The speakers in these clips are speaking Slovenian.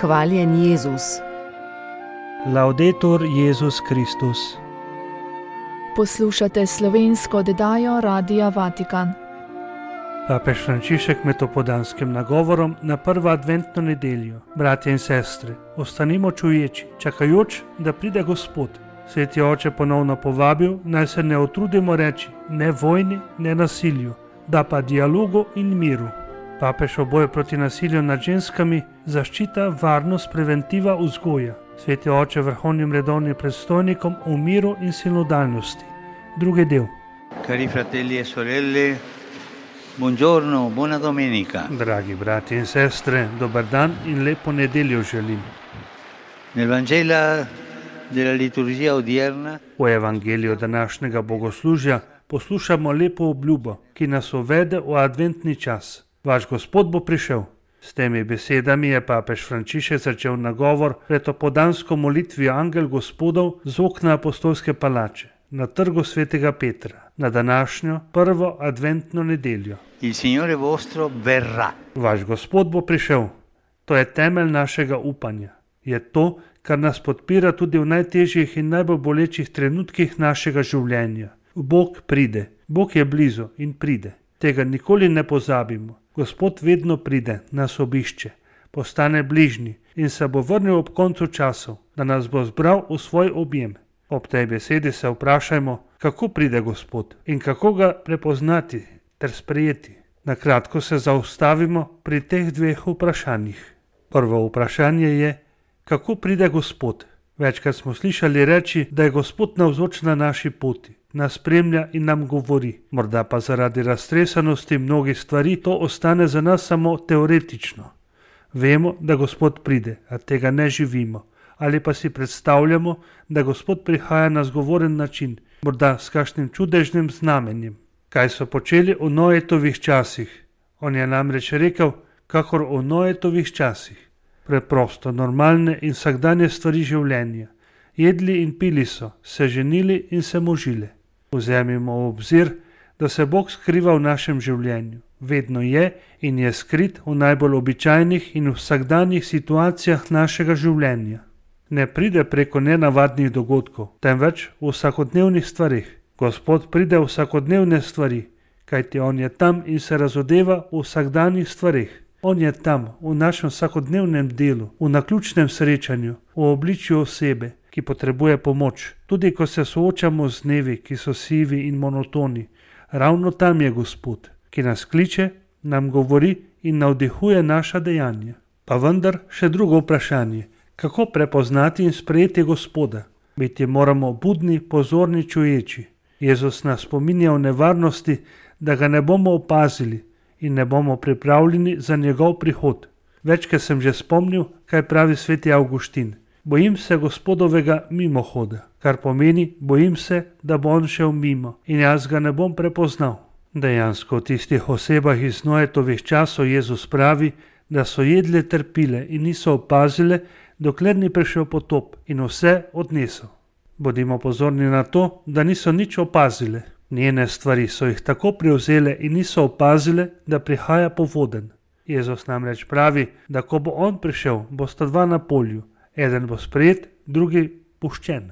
Hvaljen Jezus. Laudetur Jezus Kristus. Poslušate slovensko oddajo Radia Vatikan. Papež Frančišek med opoldanskim nagovorom na prvo adventno nedeljo. Bratje in sestre, ostanimo čuječi, čakajoč, da pride Gospod. Sveti oče ponovno povabil, naj se ne utrudimo reči ne vojni, ne nasilju, da pa dialogu in miru. Papež o boju proti nasilju nad ženskami, zaščita, varnost, preventiva, vzgoja. Sveti oče vrhovnim redovnim predstojnikom o miru in sinodalnosti. Drugi del. Cari fratelli e sorelle, buongiorno, buona domenica. Dragi brati in sestre, dober dan in lepo nedeljo želim. Nel Vangelo della liturgia odierna V evangeliju današnjega bogoslužja poslušamo lepo obljubo, ki nas uvede v adventni čas. Vaš Gospod bo prišel. S temi besedami je papež Frančišek začel nagovor pred opoldansko molitvijo Angel Gospodov z okna apostolske palače na trgu svetega Petra na današnjo prvo adventno nedeljo. il Signore vostro verrà. Vaš Gospod bo prišel. To je temelj našega upanja. Je to, kar nas podpira tudi v najtežjih in najbolj bolečih trenutkih našega življenja. Bog pride. Bog je blizu in pride. Tega nikoli ne pozabimo. Gospod vedno pride, nas obišče, postane bližnji in se bo vrnil ob koncu časov, da nas bo zbral v svoj objem. Ob tej besedi se vprašajmo, kako pride Gospod in kako ga prepoznati ter sprejeti. Na kratko se zaustavimo pri teh dveh vprašanjih. Prvo vprašanje je, kako pride Gospod. Večkrat smo slišali reči, da je Gospod navzoč na naši poti, nas spremlja in nam govori. Morda pa zaradi raztresenosti mnogih stvari to ostane za nas samo teoretično. Vemo, da Gospod pride, a tega ne živimo. Ali pa si predstavljamo, da Gospod prihaja na zgovoren način, morda s kakšnim čudežnim znamenjem. Kaj so počeli v Noetovih časih? On je namreč rekel, kakor v Noetovih časih. Preprosto, normalne in vsakdanje stvari življenja. Jedli in pili so, se ženili in se možile. Vzemimo v obzir, da se Bog skriva v našem življenju. Vedno je in je skrit v najbolj običajnih in vsakdanjih situacijah našega življenja. Ne pride preko nenavadnih dogodkov, temveč v vsakodnevnih stvarih. Gospod pride v vsakodnevne stvari, kajti On je tam in se razodeva v vsakdanjih stvarih. On je tam, v našem vsakodnevnem delu, v naključnem srečanju, v obličju osebe, ki potrebuje pomoč. Tudi ko se soočamo z dnevi, ki so sivi in monotoni, ravno tam je Gospod, ki nas kliče, nam govori in navdihuje naša dejanja. Pa vendar še drugo vprašanje, kako prepoznati in sprejeti Gospoda? Biti moramo budni, pozorni, čuječi. Jezus nas spominja o nevarnosti, da ga ne bomo opazili in ne bomo pripravljeni za njegov prihod. Večkrat sem že spomnil, kaj pravi sveti Avguštin. Bojim se Gospodovega mimohoda, kar pomeni, bojim se, da bo on šel mimo in jaz ga ne bom prepoznal. Dejansko v tistih osebah iz Noetovih časov Jezus pravi, da so jedle ter pile in niso opazile, dokler ni prišel potop in vse odnesel. Bodimo pozorni na to, da niso nič opazile. Njene stvari so jih tako prevzele in niso opazile, da prihaja povoden. Jezus namreč pravi, da ko bo on prišel, bosta dva na polju. Eden bo sprejet, drugi puščen.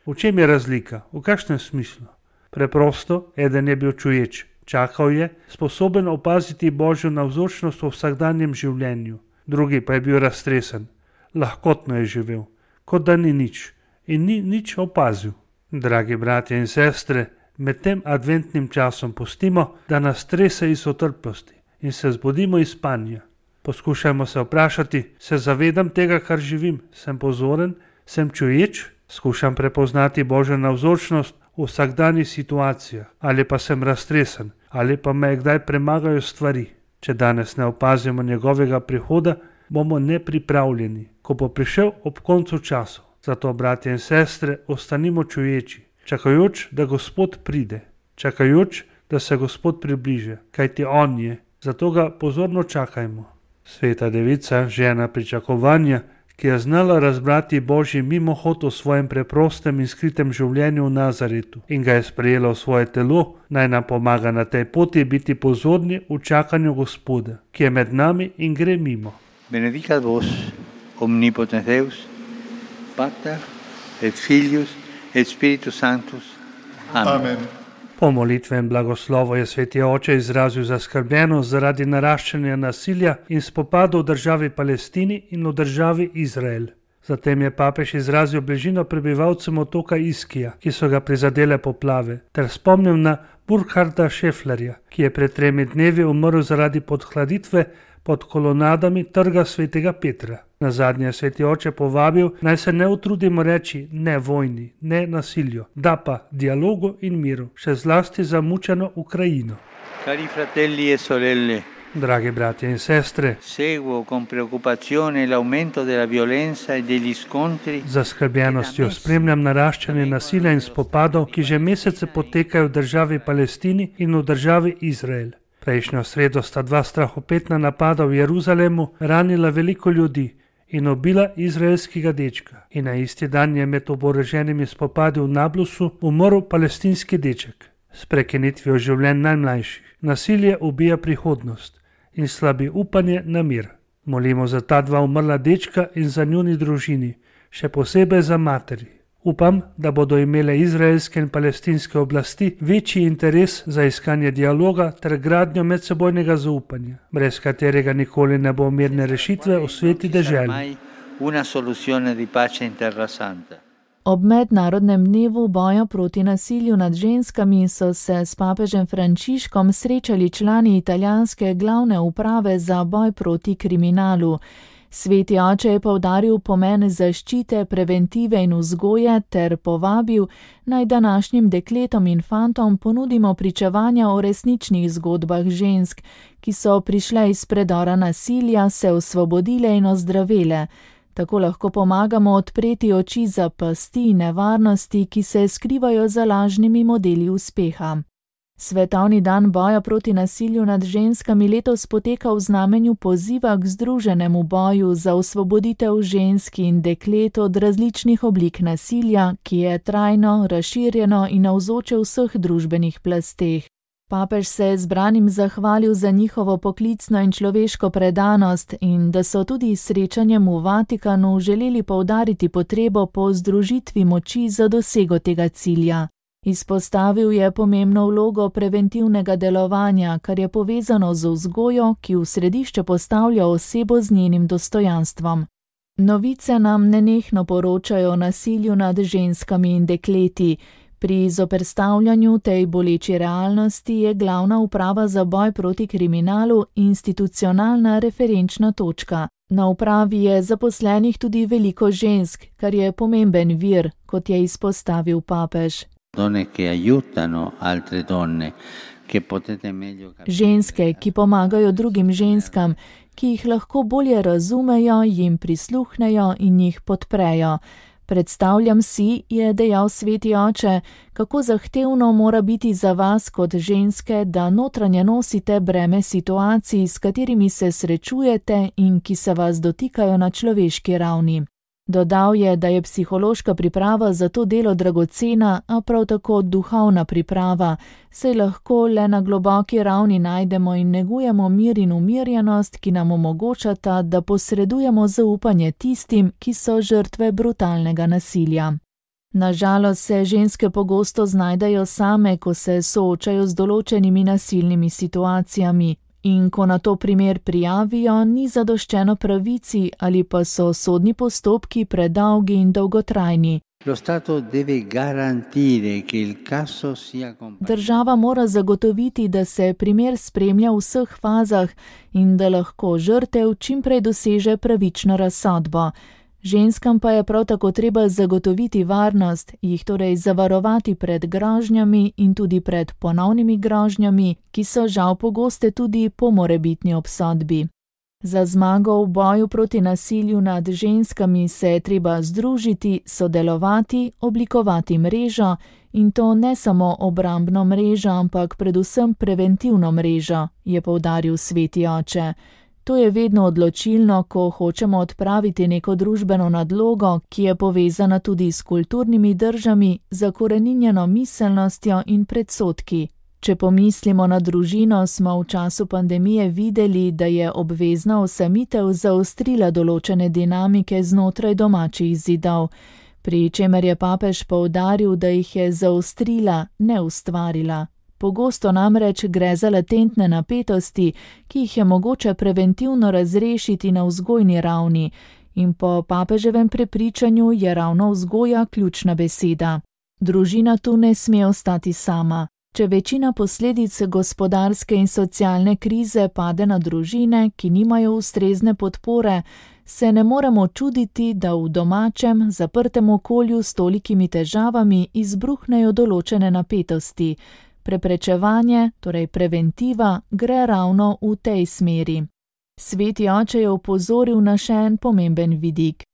V čem je razlika? V kakšnem smislu? Preprosto, eden je bil čuječ, čakal je, sposoben opaziti Božjo navzočnost v vsakdanjem življenju. Drugi pa je bil raztresen, lahkotno je živel, kot da ni nič in ni nič opazil. Dragi bratje in sestre, med tem adventnim časom pustimo, da nas trese iz otrplosti in se zbudimo iz spanja. Poskušajmo se vprašati, se zavedam tega, kar živim, sem pozoren, sem čuječ, skušam prepoznati Božjo navzočnost v vsakdanjih situacijah, ali pa sem raztresen, ali pa me kdaj premagajo stvari. Če danes ne opazimo njegovega prihoda, bomo nepripravljeni, ko bo prišel ob koncu časov. Zato, bratje in sestre, ostanimo čuječi, čakajoč, da Gospod pride, čakajoč, da se Gospod približe, kajti On je, zato ga pozorno čakajmo. Sveta devica, žena pričakovanja, ki je znala razbrati Božji mimohod v svojem preprostem in skritem življenju v Nazaretu in ga je sprejela v svoje telo, naj nam pomaga na tej poti biti pozorni v čakanju Gospoda, ki je med nami in gre mimo. Benedicat vos omnipotens Deus, Pater et Filius et Spiritus Sanctus. Amen. Po molitvem blagoslovu je sveti oče izrazil zaskrbljenost zaradi naraščanja nasilja in spopadov v državi Palestini in v državi Izrael. Zatem je papež izrazil bližino prebivalcem otoka Iskija, ki so ga prizadele poplave, ter spomnil na Burkharda Schefflerja, ki je pred 3 dnevi umrl zaradi podhladitve pod kolonadami trga svetega Petra. Nazadnje je sveti oče povabil, naj se ne utrudimo reči ne vojni, ne nasilju, da pa dialogu in miru, še zlasti za mučeno Ukrajino. Cari fratelli e sorelle, Dragi bratje in sestre, seguo con preoccupazione l'aumento della violenza e degli scontri. z zaskrbljenostjo spremljam naraščanje nasilja in spopadov, ki že mesece potekajo v državi Palestini in v državi Izrael. Prejšnjo sredo sta 2 strahopetna napada v Jeruzalemu ranila veliko ljudi in ubila izraelskega dečka. In na isti dan je med oboroženimi spopadi v Nablusu umrl palestinski deček. S prekinitvijo življenj najmlajših nasilje ubija prihodnost in slabi upanje na mir. Molimo za ta 2 umrla dečka in za njuni družini, še posebej za materi. Upam, da bodo imele izraelske in palestinske oblasti večji interes za iskanje dialoga ter gradnjo medsebojnega zaupanja, brez katerega nikoli ne bo mirne rešitve v sveti deželi. Ob mednarodnem dnevu boja proti nasilju nad ženskami so se s papežem Frančiškom srečali člani italijanske glavne uprave za boj proti kriminalu. Sveti oče je poudaril pomen zaščite, preventive in vzgoje ter povabil, naj današnjim dekletom in fantom ponudimo pričevanja o resničnih zgodbah žensk, ki so prišle iz predora nasilja, se osvobodile in ozdravele. Tako lahko pomagamo odpreti oči za pasti in nevarnosti, ki se skrivajo za lažnimi modeli uspeha. Svetovni dan boja proti nasilju nad ženskami letos poteka v znamenju poziva k združenemu boju za osvoboditev žensk in deklet od različnih oblik nasilja, ki je trajno, razširjeno in navzoče v vseh družbenih plasteh. Papež se je zbranim zahvalil za njihovo poklicno in človeško predanost in da so tudi s srečanjem v Vatikanu želeli poudariti potrebo po združitvi moči za dosego tega cilja. Izpostavil je pomembno vlogo preventivnega delovanja, kar je povezano z vzgojo, ki v središče postavlja osebo z njenim dostojanstvom. Novice nam nenehno poročajo o nasilju nad ženskami in dekleti. Pri zoperstavljanju tej boleči realnosti je glavna uprava za boj proti kriminalu institucionalna referenčna točka. Na upravi je zaposlenih tudi veliko žensk, kar je pomemben vir, kot je izpostavil papež. Ženske, ki pomagajo drugim ženskam, ki jih lahko bolje razumejo, jim prisluhnejo in jih podprejo. Predstavljam si, je dejal sveti oče, kako zahtevno mora biti za vas kot ženske, da notranje nosite breme situacij, s katerimi se srečujete in ki se vas dotikajo na človeški ravni. Dodal je, da je psihološka priprava za to delo dragocena, a prav tako duhovna priprava, saj lahko le na globoki ravni najdemo in negujemo mir in umirjenost, ki nam omogočata, da posredujemo zaupanje tistim, ki so žrtve brutalnega nasilja. Nažalost se ženske pogosto znajdejo same, ko se soočajo z določenimi nasilnimi situacijami. In ko na to primer prijavijo, ni zadoščeno pravici ali pa so sodni postopki predolgi in dolgotrajni. Država mora zagotoviti, da se primer spremlja v vseh fazah in da lahko žrtev čim prej doseže pravično razsodbo. Ženskam pa je prav tako treba zagotoviti varnost, jih torej zavarovati pred grožnjami in tudi pred ponovnimi grožnjami, ki so žal pogoste tudi po morebitni obsodbi. Za zmago v boju proti nasilju nad ženskami se je treba združiti, sodelovati, oblikovati mrežo in to ne samo obrambno mrežo, ampak predvsem preventivno mrežo, je poudaril sveti oče. To je vedno odločilno, ko hočemo odpraviti neko družbeno nadlogo, ki je povezana tudi s kulturnimi držami, zakoreninjeno miselnostjo in predsodki. Če pomislimo na družino, smo v času pandemije videli, da je obvezna osamitev zaostrila določene dinamike znotraj domačih zidov, pri čemer je papež poudaril, da jih je zaostrila, ne ustvarila. Pogosto namreč gre za latentne napetosti, ki jih je mogoče preventivno razrešiti na vzgojni ravni, in po papeževem prepričanju je ravno vzgoja ključna beseda. Družina tu ne sme ostati sama. Če večina posledic gospodarske in socialne krize pade na družine, ki nimajo ustrezne podpore, se ne moremo čuditi, da v domačem, zaprtem okolju s tolikimi težavami izbruhnejo določene napetosti. Preprečevanje, torej preventiva, gre ravno v tej smeri. Sveti oče je opozoril na še en pomemben vidik.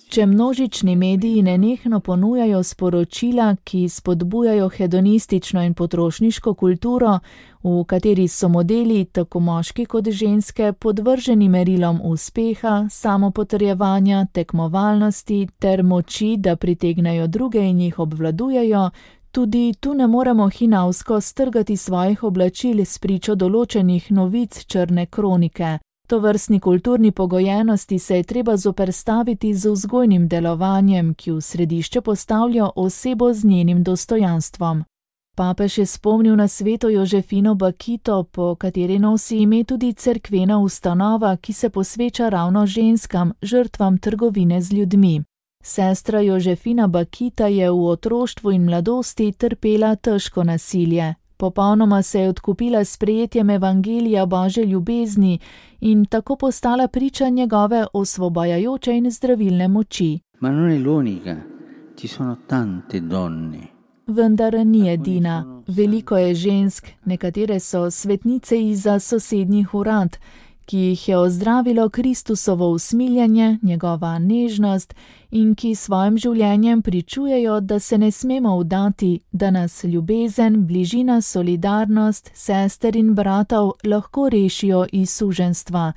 Če množični mediji nenehno ponujajo sporočila, ki spodbujajo hedonistično in potrošniško kulturo, v kateri so modeli, tako moški kot ženske, podvrženi merilom uspeha, samopotrjevanja, tekmovalnosti ter moči, da pritegnejo druge in jih obvladujejo, tudi tu ne moremo hinavsko strgati svojih oblačil s pričo določenih novic črne kronike. Tovrstni kulturni pogojenosti se je treba zoperstaviti z vzgojnim delovanjem, ki v središče postavlja osebo z njenim dostojanstvom. Papež je spomnil na sveto Jožefino Bakito, po kateri nosi ime tudi cerkvena ustanova, ki se posveča ravno ženskam, žrtvam trgovine z ljudmi. Sestra Jožefina Bakita je v otroštvu in mladosti trpela težko nasilje. Popolnoma se je odkupila s sprejetjem evangelija Božje ljubezni in tako postala priča njegove osvobajajoče in zdravilne moči. Vendar ni edina. Veliko je žensk, nekatere so svetnice izza sosednjih urad, ki jih je ozdravilo Kristusovo usmiljenje, njegova nežnost in ki svojim življenjem pričujejo, da se ne smemo vdati, da nas ljubezen, bližina, solidarnost, sester in bratov lahko rešijo iz suženjstva.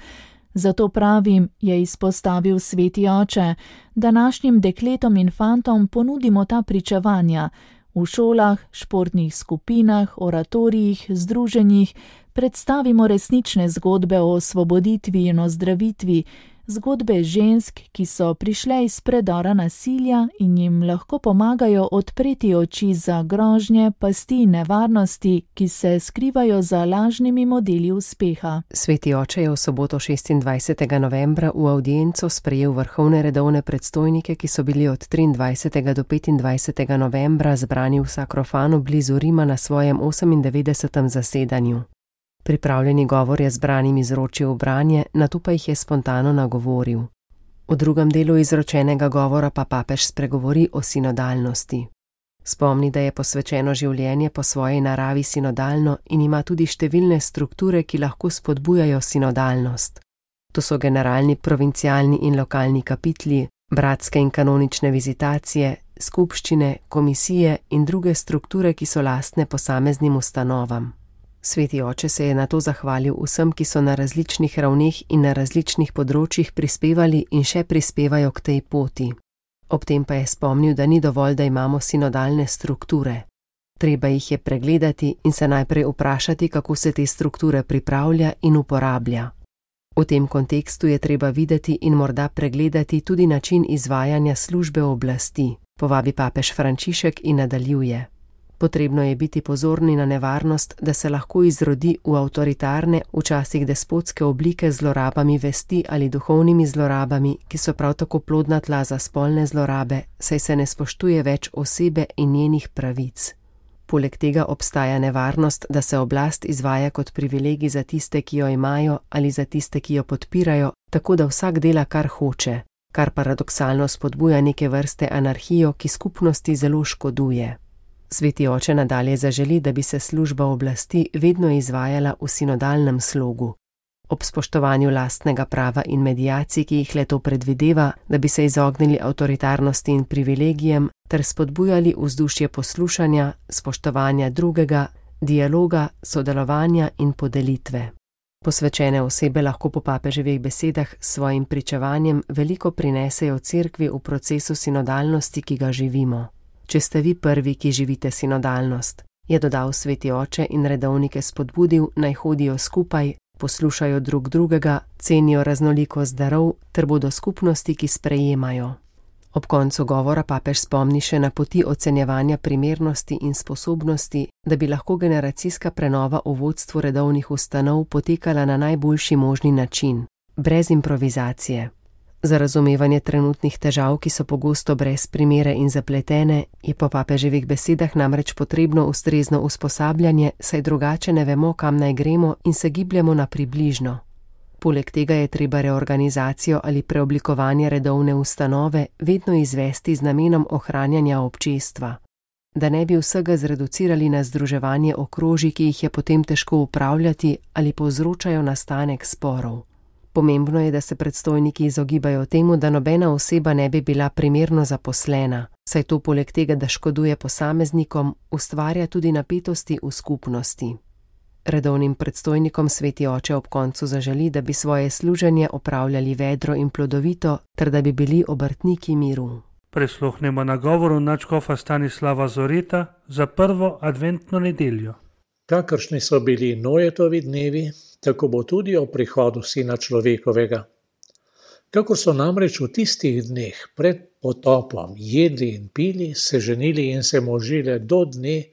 Zato pravim, je izpostavil sveti oče, današnjim dekletom in fantom ponudimo ta pričevanja. V šolah, športnih skupinah, oratorijih, združenjih predstavimo resnične zgodbe o osvoboditvi in ozdravitvi, zgodbe žensk, ki so prišle iz predora nasilja in jim lahko pomagajo odpreti oči za grožnje, pasti in nevarnosti, ki se skrivajo za lažnimi modeli uspeha. Sveti oče je v soboto 26. novembra v avdienco sprejel vrhovne redovne predstojnike, ki so bili od 23. do 25. novembra zbrani v Sakrofanu blizu Rima na svojem 98. zasedanju. Pripravljeni govor je zbranim izročil v branje, nato pa jih je spontano nagovoril. V drugem delu izročenega govora pa papež spregovori o sinodalnosti. Spomni, da je posvečeno življenje po svoji naravi sinodalno in ima tudi številne strukture, ki lahko spodbujajo sinodalnost. To so generalni, provincialni in lokalni kapitli, bratske in kanonične vizitacije, skupščine, komisije in druge strukture, ki so lastne posameznim ustanovam. Sveti oče se je nato zahvalil vsem, ki so na različnih ravneh in na različnih področjih prispevali in še prispevajo k tej poti. Ob tem pa je spomnil, da ni dovolj, da imamo sinodalne strukture. Treba jih je pregledati in se najprej vprašati, kako se te strukture pripravlja in uporablja. V tem kontekstu je treba videti in morda pregledati tudi način izvajanja službe oblasti, povabi papež Frančišek in nadaljuje. Potrebno je biti pozorni na nevarnost, da se lahko izrodi v avtoritarne, včasih despotske oblike z zlorabami vesti ali duhovnimi zlorabami, ki so prav tako plodna tla za spolne zlorabe, saj se ne spoštuje več osebe in njenih pravic. Poleg tega obstaja nevarnost, da se oblast izvaja kot privilegij za tiste, ki jo imajo, ali za tiste, ki jo podpirajo, tako da vsak dela, kar hoče, kar paradoksalno spodbuja neke vrste anarhijo, ki skupnosti zelo škoduje. Sveti oče nadalje zaželi, da bi se služba oblasti vedno izvajala v sinodalnem slogu. Ob spoštovanju lastnega prava in medijacij, ki jih le-to predvideva, da bi se izognili avtoritarnosti in privilegijem, ter spodbujali vzdušje poslušanja, spoštovanja drugega, dialoga, sodelovanja in podelitve. Posvečene osebe lahko po papeževih besedah s svojim pričevanjem veliko prinesejo cerkvi v procesu sinodalnosti, ki ga živimo. če ste vi prvi, ki živite sinodalnost, je dodal sveti oče in redovnike spodbudil, naj hodijo skupaj, poslušajo drug drugega, cenijo raznolikost darov ter bodo skupnosti, ki sprejemajo. Ob koncu govora papež spomni še na poti ocenjevanja primernosti in sposobnosti, da bi lahko generacijska prenova v vodstvu redovnih ustanov potekala na najboljši možni način, brez improvizacije. Za razumevanje trenutnih težav, ki so pogosto brez primere in zapletene, je po papeževih besedah namreč potrebno ustrezno usposabljanje, saj drugače ne vemo, kam naj gremo in se gibljemo na približno. Poleg tega je treba reorganizacijo ali preoblikovanje redovne ustanove vedno izvesti z namenom ohranjanja občestva, da ne bi vsega zreducirali na združevanje okrožij, ki jih je potem težko upravljati ali povzročajo nastanek sporov. Pomembno je, da se predstojniki izogibajo temu, da nobena oseba ne bi bila primerno zaposlena, saj to poleg tega, da škoduje posameznikom, ustvarja tudi napetosti v skupnosti. Redovnim predstojnikom sveti oče ob koncu zaželi, da bi svoje služenje opravljali vedro in plodovito, ter da bi bili obrtniki miru. Prisluhnemo nagovoru nadškofa Stanislava Zoreta za prvo adventno nedeljo. Kakršni so bili Nojetovi dnevi, tako bo tudi o prihodu Sina človekovega. Kakor so namreč v tistih dneh pred potopom jedli in pili, se ženili in se možile do dne,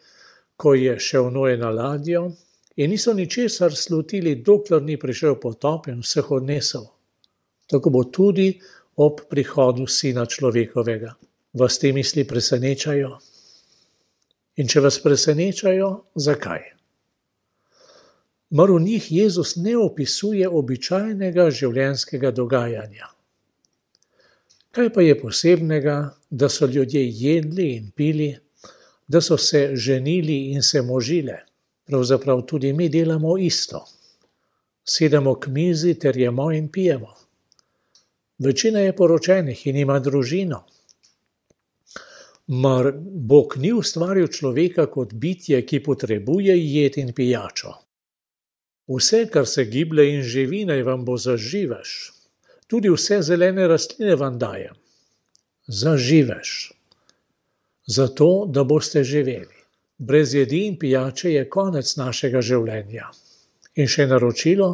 ko je šel Noe na ladjo, in niso ničesar slutili, dokler ni prišel potop in vseh odnesel. Tako bo tudi ob prihodu Sina človekovega. Vas te misli presenečajo? In če vas presenečajo, zakaj? Mar v njih Jezus ne opisuje običajnega življenjskega dogajanja. Kaj pa je posebnega, da so ljudje jedli in pili, da so se ženili in se možile? Pravzaprav tudi mi delamo isto. Sedemo k mizi ter jemo in pijemo. Večina je poročenih in ima družino. Mar Bog ni ustvaril človeka kot bitje, ki potrebuje jed in pijačo? Vse, kar se giblje in živi, naj vam bo zaživež. Tudi vse zelene rastline vam dajem. Zaživež. Zato, da boste živeli. Brez jedi in pijače je konec našega življenja. In še naročilo,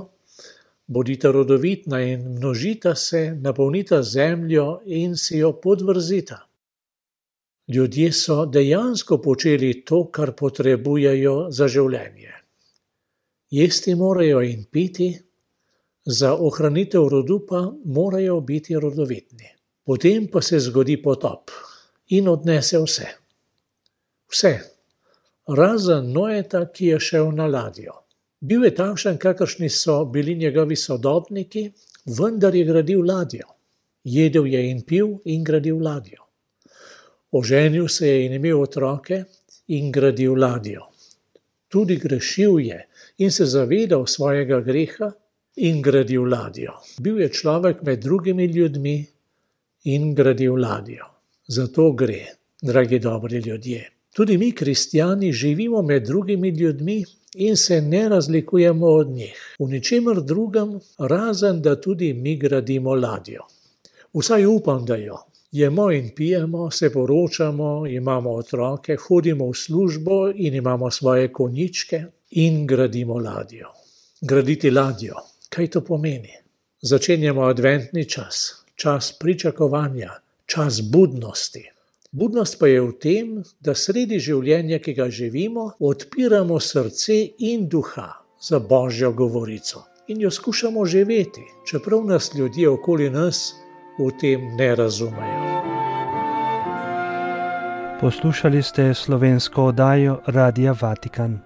bodite rodovitna in množita se, napolnita zemljo in si jo podvrzita. Ljudje so dejansko počeli to, kar potrebujejo za življenje. Jesti morajo in piti, za ohranitev rodu pa morajo biti rodovitni. Potem pa se zgodi potop in odnese vse. Vse, razen Noeta, ki je šel na ladjo. Bil je takšen, kakršni so bili njegovi sodobniki, vendar je gradil ladjo. Jedel je in pil in gradil ladjo. Oženil se je in imel otroke in gradil ladjo. Tudi grešil je in se zavedal svojega greha in gradil ladjo. Bil je človek med drugimi ljudmi in gradil ladjo. Zato gre, dragi dobri ljudje. Tudi mi, kristjani, živimo med drugimi ljudmi in se ne razlikujemo od njih. V ničemer drugem, razen da tudi mi gradimo ladjo. Vsaj upam, da jo. Jemo in pijemo, se poročamo, imamo otroke, hodimo v službo in imamo svoje konjičke in gradimo ladjo. Graditi ladjo, kaj to pomeni? Začenjamo adventni čas, čas pričakovanja, čas budnosti. Budnost pa je v tem, da sredi življenja, ki ga živimo, odpiramo srce in duha za Božjo govorico in jo skušamo živeti, čeprav nas ljudje okoli nas v tem ne razumejo. Poslušali ste slovensko oddajo Radia Vatikan.